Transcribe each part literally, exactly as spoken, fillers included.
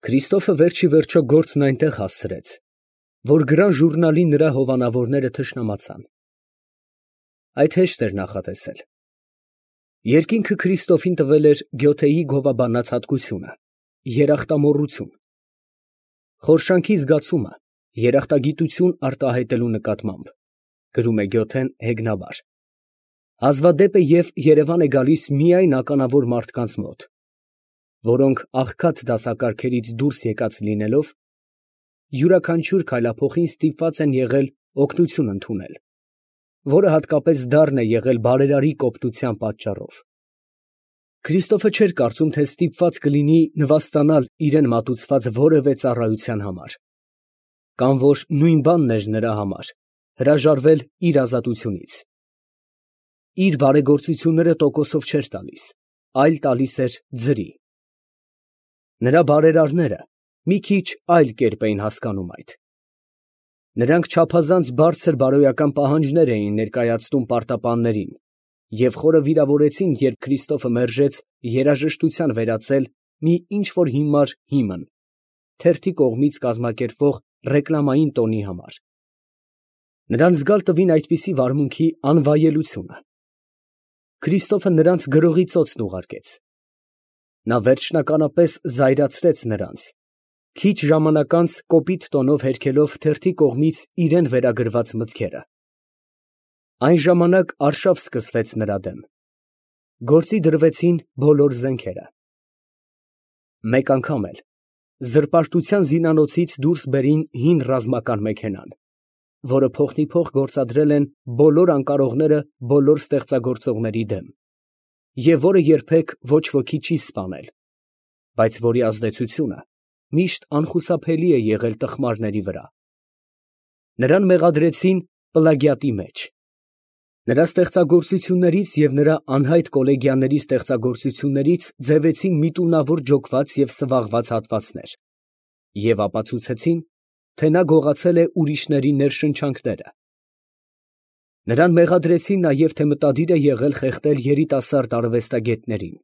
Քրիստոֆը վերջի վերջո գործն այնտեղ հասցրեց, որ գրան ժուրնալի նրա հովանավորները թշնամացան։ Այդ հեշտ էր նախատեսել։ Երկինքը Քրիստոֆին տվել էր Գյոթեի գովաբանած հատկությունը՝ երախտամոռություն, խորշանքի զգացումը երախտագիտություն արտահայտելու նկատմամբ, գրում է Գյոթեն հեգնաբար, հազվադեպ է և երևան է գալիս միայն ականավոր մարդկանց մոտ, որոնք աղքատ դասակարգերից դուրս եկած լինելով, յուրաքանչյուր քայլափոխին ստիպված են եղել օգնություն ընդունել, որը հատկապես դառն է եղել բարերարի կոպտության պատճառով։ Քրիստոֆը չէր կարծում, թե ստիպված կլինի նվաստանալ իրեն մատուցված որևէ ծառայության համար, կամ որ նույն բանն էր նրա համար հրաժարվել իր ազատությունից։ Իր բարեգործությունները տոկոսով չէր տալիս, այլ տալիս էր ձրի։ Նրա բարերարները մի քիչ այլ կերպ էին հասկանում այդ։ Նրանք չափազանց բարձր բարոյական պահանջներ էին ներկայացնում պարտապաններին և խորը վիրավորեցին, երբ Քրիստոֆը մերժեց երաժշտության վերածել մի ինչ֊որ հիմար հիմն թերթի կողմից կազմակերպվող ռեկլամային տոնի համար։ Նրան զգալ տվին այդպիսի վարմունքի անվայելությունը։ Քրիստոֆը նրանց գրողի ծոցն ուղարկեց։ Նա վերջնականապես զայրացրեց նրանց, քիչ ժամանակ անց կոպիտ տոնով հերքելով թերթի կողմից իրան վերագրված մտքերը։ Այն ժամանակ արշավ սկսվեց նրա դեմ։ Գործի դրվեցին բոլոր զենքերը։ Մեկ անգամ էլ զրպարտության զինանոցից դուրս բերին հին ռազմական մեքենան, որը փոխնիփոխ գործադրել են բոլոր անկարողները բոլոր ստեղծագործողների դեմ, և որը երբեք ոչ ոքի չի սպանել, բայց որի ազդեցությունը միշտ անխուսափելի է եղել տխմարների վրա։ Նրան մեղադրեցին պլագիատի մեջ։ Նրա ստեղծագործություններից և նրա անհայտ կոլեգյաների ստեղծագործություններից ձևեցին միտումնավոր ջոկված և սվաղված հատվածներ և ապացուցեցին, թե նա գողացել է ուրիշների ներշնչանքները։ Նրան մեղադրեցին նաև, թե մտադիր է եղել խեղդել երիտասարդ արվեստագետներին։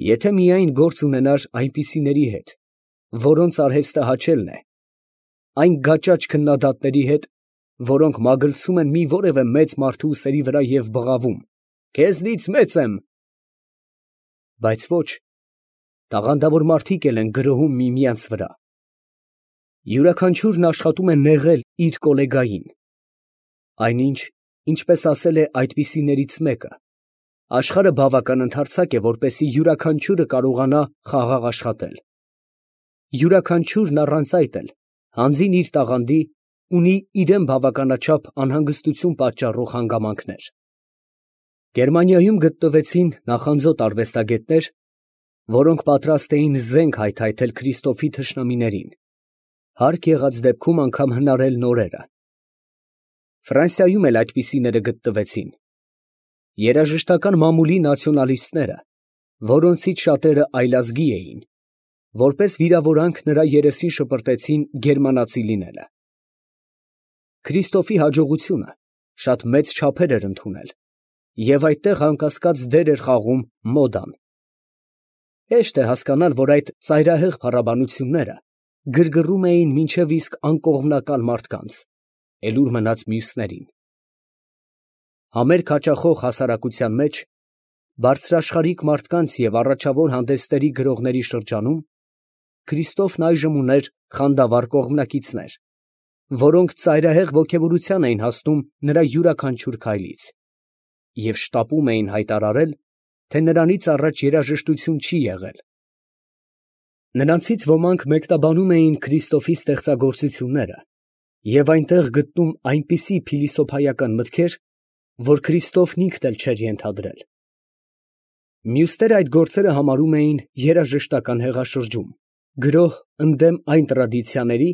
Եթե միայն գործ ունենար այնպիսիների հետ, որոնց արհեստը հաչելն է, այն գաճաճ քննադատների հետ, որոնք մագլցում են մի որևէ մեծ մարդու ուսերի վրա և բղավում. «Քեզնից մեծ եմ»։ Բայց ոչ, տաղանդավոր մարդիկ էլ են գրոհում միմյանց վրա։ Յուրաքանչյուրն աշխատում է նեղել իր գոլեգային, այնինչ, ինչպես ասել է այդպիսիներից մեկը, աշխարհը բավական ընդարձակ է, որպեսզի յուրաքանչյուրը կարողանա խաղաղ աշխատել։ Յուրաքանչյուրն առանց այդ էլ, հանձին իր տաղանդի, ունի իրան բավականաչափ անհանգստություն պատճառող հանգամանքներ։ Գերմանիայում գտնվեցին նախանձոտ արվեստագետներ, որոնք պատրաստ էին զենք հայթայթել Քրիստոֆի թշնամիներին, հարկ եղած դեպքում անգամ հնարել նորերը։ Ֆրանսիայում էլ այդպիսիները գտնվեցին։ Երաժշտական մամուլի նացիոնալիստները, որոնցից շատերը այլազգի էին, որպես վիրավորանք նրա երեսին շպրտեցին գերմանացի լինելը։ Քրիստոֆի հաջողությունը շատ մեծ չափեր էր ընդունել, և այդտեղ անկասկած դեր էր խաղում մոդան։ Հեշտ է հասկանալ, որ այդ ծայրահեղ փառաբանությունները գրգռում էին մինչև իսկ անկողմնակալ մարդկանց, էլ ուր մնաց մյուսներին։ Համերգ հաճախող հասարակության մեջ, բարձրաշխարհիկ մարդկանց և առաջավոր հանդեսների գրողների շրջանում Քրիստոֆն այժմ ուներ խանդավառ կողմնակիցներ, որոնք ծայրահեղ ոգևորության էին հասնում նրա յուրաքանչյուր քայլից և շտապում էին հայտարարել, թե նրանից առաջ երաժշտություն չի եղել։ Նրանցից ոմանք մեկնաբանում էին Քրիստոֆի ստեղծագործությունները և այնտեղ գտնում այնպիսի փիլիսոփայական մտքեր, որ Քրիստոֆն ինքն էլ չէր ենթադրել։ Մյուսները այդ գործերը համարում էին երաժշտական հեղաշրջում, գրոհ ընդդեմ այն տրադիցիաների,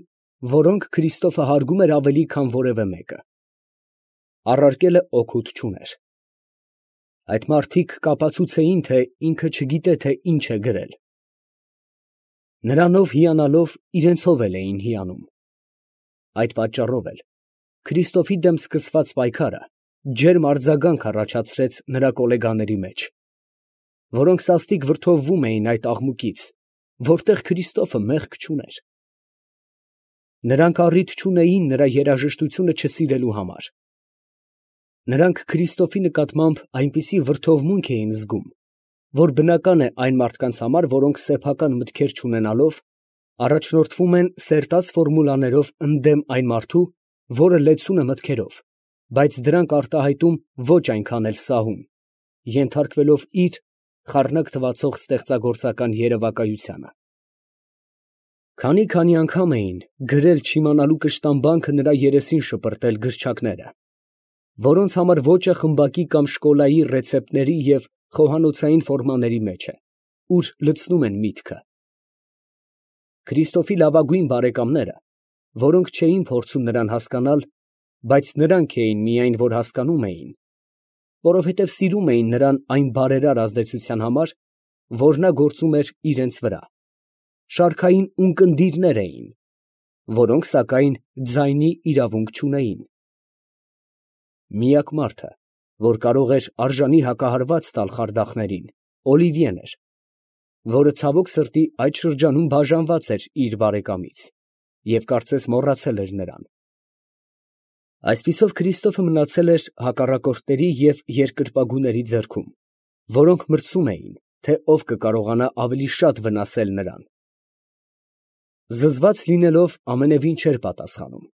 որոնք Քրիստոֆը հարգում էր ավելի, քան որևէ մեկը։ Առարկելը օգուտ չուներ։ Այդ մարդիկ կապացուցեին, թե ինքը չգիտե, թե ինչ է գրել։ Նրանով հիանալով իրենցով էլ էին հիանում։ Այդ պատճառով էլ Քրիստոֆի դեմ սկսված պայքարը ջերմ արձագանք առաջացրեց նրա գոլեգաների մեջ, որոնք սաստիկ վրդովվում էին այդ աղմուկից, որտեղ Քրիստոֆը մեղք չուներ։ Նրանք առիթ չունեին նրա երաժշտությունը չսիրելու համար։ Նրանք Քրիստոֆի նկատմամբ այնպիսի վրդովմունք էին զգում, որ բնական է այն մարդկանց համար, որոնք սեփական մտքեր չունենալով, առաջնորդվում են սերտած ֆորմուլաներով ընդդեմ այն մարդու, որը լեցուն է մտքերով, բայց դրանք արտահայտում ոչ այնքան էլ սահուն, ենթարկվելով իր խառնակ թվացող ստեղծագործական երևակայությանը։ Քանի֊քանի անգամ էին գրել չիմանալու կշտամբանքը նրա երեսին շպրտել գրչակները, որոնց համար ոճը խմբակի կամ շկոլայի ռեցեպտների և խոհանոցային ֆորմաների մեջ է, ուր լցնում են միտքը։ Քրիստոֆի լավագույն բարեկամները, որոնք չէին փորձում նրան հասկանալ, բայց նրանք էին միայն, որ հասկանում էին, որովհետև սիրում էին նրան այն բարերար ազդեցության համար, որ նա գործում էր իրենց վրա, շարքային ունկնդիրներ էին, որոնք, սակայն, ձայնի իրավունք չունեին։ Միակ մարդը, որ կարող էր արժանի հակահարված տալ խարդախներին, Օլիվիեն էր, որը ցավոք սրտի այդ շրջանում բաժանված էր իր բարեկամից և կարծես մոռացել էր նրան։ Այսպիսով Քրիստոֆը մնացել էր հակառակորդների և երկրպագուների ձեռքում, որոնք մրցում էին, թե ով կկարողանա ավելի շատ վնասել նրան։ Զզված լինելով ամենևին չէր պատասխանում։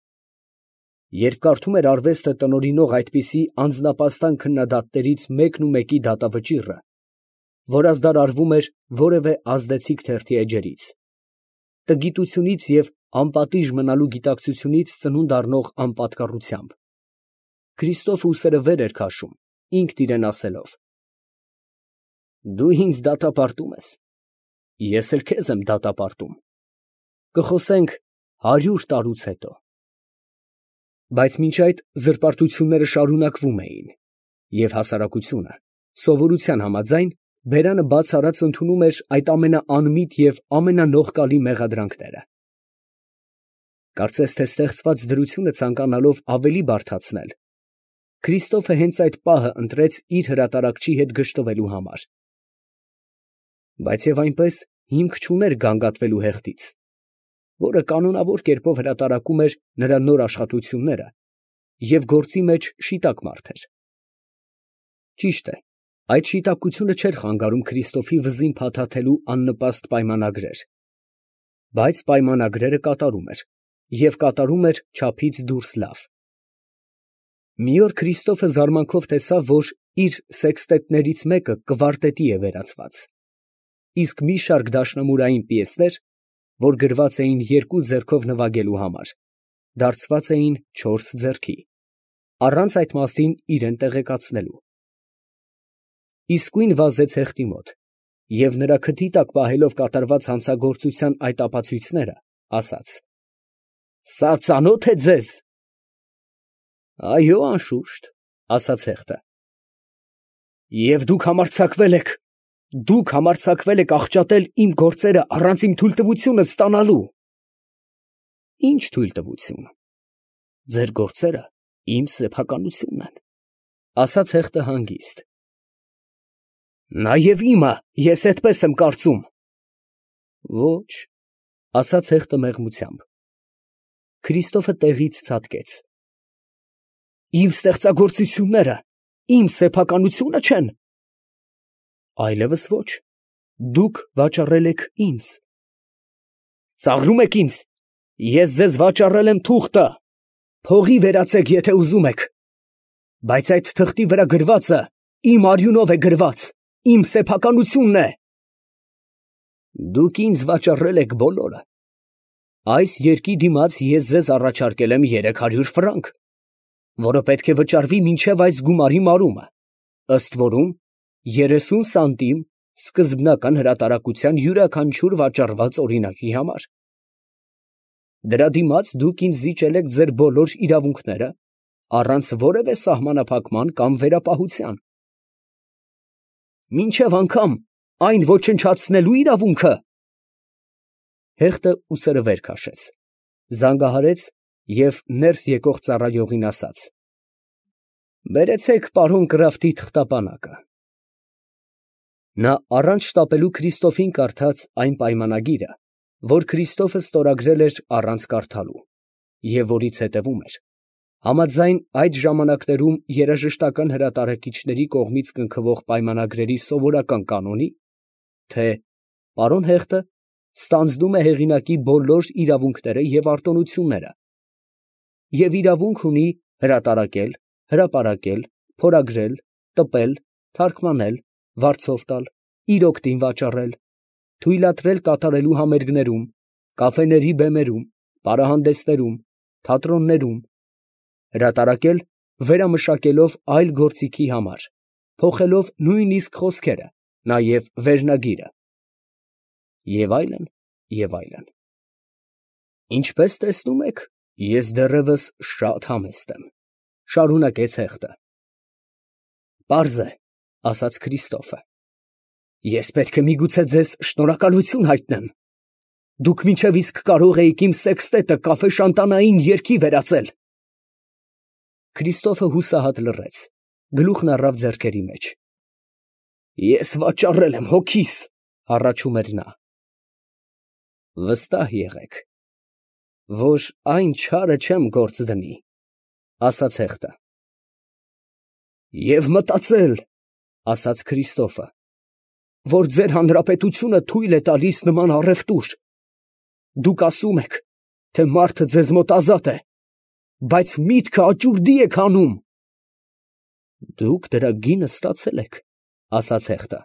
Երբ կարդում էր արվեստը տնօրինող այդպիսի անձնապաստան քննադատներից մեկն ու մեկի դատավճիռը, որազդար արվում էր որևէ ազդեցիկ թերթի էջերից, տգիտությունից և անպատիժ մնալու գիտակցությունից ծնունդ առնող անպատկառությամբ, Քրիստոֆը ուսերը վեր էր քաշում, ինքն իրան ասելով. «Դու ինձ դատապարտում ես, ես էլ քեզ եմ դատապարտում, կխոսենք հարյուր տարուց հետո»։ Բայց մինչ այդ զրպարտությունները շարունակվում էին, և հասարակությունը, սովորության համաձայն, բերանը բաց արած ընդունում էր այդ ամենաանմիտ և ամենանողկալի մեղադրանքները։ Կարծես թե ստեղծված դրությունը ցանկանալով ավելի բարդացնել, Քրիստոֆը հենց այդ պահը ընտրեց իր հրատարակչի հետ գժտվելու համար։ Բայց և այնպես հիմք չուներ գանգատվելու հեղդից, որը կանոնավոր կերպով հրատարակում էր նրա նոր աշխատությունները և գործի մեջ շիտակ մարդ էր։ Ճիշտ է, այդ շիտակությունը չէր խանգարում Քրիստոֆի վզին փաթաթելու աննպաստ պայմանագրեր, բայց պայմանագրերը կատարում էր և կատարում էր չափից դուրս լավ։ Մի օր Քրիստոֆը զարմանքով տեսավ, որ իր սեքստետներից մեկը կվարտետի է վերածված, իսկ մի շարք դաշնամուրային պիեսներ, որ գրված էին երկու ձեռքով նվագելու համար, դարձված էին չորս ձեռքի, առանց այդ մասին իրան տեղեկացնելու։ Իսկույն վազեց հեղտի մոտ և նրա քթի տակ պահելով կատարված հանցագործության այդ ապացույցները, ասաց. «Սա ծանո՞թ է ձեզ»։ «Այո, անշուշտ», ասաց հեղտը։ «Եվ դուք համարձակվել եք, դուք համարձակվել եք աղճատել իմ գործերը առանց իմ թույլտվությունը ստանալու»։ «Ի՞նչ թույլտվություն, ձեր գործերը իմ սեփականությունն են», ասաց հեղտը հանգիստ։ «Նաև իմը, ես էդպես եմ կարծում»։ «Ոչ», ասաց հեղտը մեղմությամբ։ Քրիստոֆը տեղից ցատկեց։ «Իմ ստեղծագործությունները իմ սեփականությո՞ւնը չեն»։ «Այլևս ոչ, դուք վաճառել եք ինձ»։ «Ծաղրում եք ինձ, ես ձեզ վաճառել եմ թուղթը, փողի վերածեք, եթե ուզում եք, բայց այդ թղթի վրա գրվածը իմ արյունով է գրված, իմ սեփականությունն է»։ «Դուք ինձ վաճառել եք բոլորը։ Այս երկի դիմաց ես ձեզ առաջարկել եմ երեք հարյուր ֆրանկ, որը պետք է վճարվի մինչև այս գումարի մարումը, ըստ որում երեսուն սանտիմ սկզբնական հրատարակության յուրաքանչյուր վաճառված օրինակի համար։ Դրա դիմաց դուք ինձ զիջել եք ձեր բոլոր իրավունքները, առանց որևէ սահմանափակման կամ վերապահության։ Մինչև անգամ այն ոչնչացնելու իրավունքը։ Հեղտը ուսերը վեր քաշեց, զանգահարեց և ներս եկող ծառայողին ասաց. «Բերեցեք պարոն Կրաֆտի թղթապանակը»։ Նա առանց շտապելու Քրիստոֆին կարդաց այն պայմանագիրը, որ Քրիստոֆը ստորագրել էր առանց կարդալու, և որից հետևում էր. համաձայն այդ ժամանակներում երաժշտական հրատարակիչների կողմից կնքվող պայմանագրերի սովորական կանոնի, թե պարոն Հեղտը ստանձնում է հեղինակի բոլոր իրավունքները և արտոնությունները և իրավունք ունի հրատարակել, հրապարակել, փորագրել, տպել, թարգմանել, վարձով տալ, իր օգտին վաճառել, թույլատրել կատարելու համերգներում, կաֆեների բեմերում, պարահանդեսներում, թատրոններում, հրատարակել վերամշակելով այլ գործիքի համար, փոխելով նույնիսկ խոսքերը, նաև վերնագիրը և այլն, և այլն։ Ինչպես տեսնում եք, ես դեռևս շատ համեստ եմ, ֊ շարունակեց Հեղտը։ Պարզ է, ֊ ասաց Քրիստոֆը, ես պետք է միգուցե ձեզ շնորհակալություն հայտնեմ. դուք մինչև իսկ կարող էիք իմ սեքստետը կաֆե֊շանտանային երգի վերածել։ Քրիստոֆը հուսահատ լռեց, գլուխն առավ ձեռքերի մեջ։ Ես վաճառել եմ հոգիս, ֊ հառաչում էր նա։ Վստահ եղեք, որ այն չարը չեմ գործ դնի, ֊ ասաց Հեղտը։ Եվ մտածել, ֊ ասաց Քրիստոֆը, որ ձեր հանրապետությունը թույլ է տալիս նման առևտուր. դուք ասում եք, թե մարդը ձեզ մոտ ազատ է, բայց միտքը աճուրդի եք հանում։ Դուք դրա գինը ստացել եք, ֊ ասաց Հեղտը։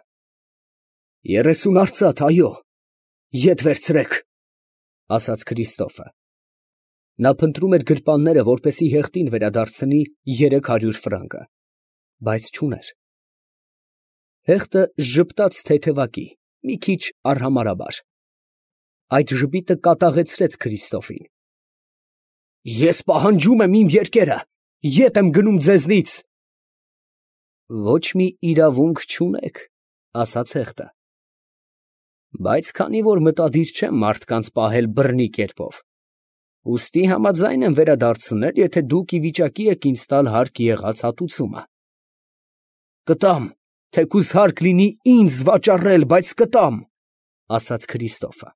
Երեսուն արծաթ, այո, ետ վերցրեք, ֊ ասաց Քրիստոֆը։ Նա փնտրում էր գրպանները, որպեսզի Հեղտին վերադարձնի երեք հարյուր ֆրանկը, բայց չուներ։ Հեղտը ժպտաց թեթևակի, մի քիչ արհամարհաբար։ Այդ ժպիտը կատաղեցրեց Քրիստոֆին։ Ես պահանջում եմ իմ երկերը, ետ եմ գնում ձեզնից։ Ոչ մի իրավունք չունեք, ֊ ասաց Հեղտը։ Բայց քանի որ մտադիր չեմ մարդկանց պահել բռնի կերպով, ուստի համաձայն եմ վերադարձնել, եթե դուք ի վիճակի եք ինձ տալ հարկ եղած հատուցումը։ Կտամ, թեկուզ հարկ լինի ինձ վաճառել, բայց կտամ, ֊ ասաց Քրիստոֆը։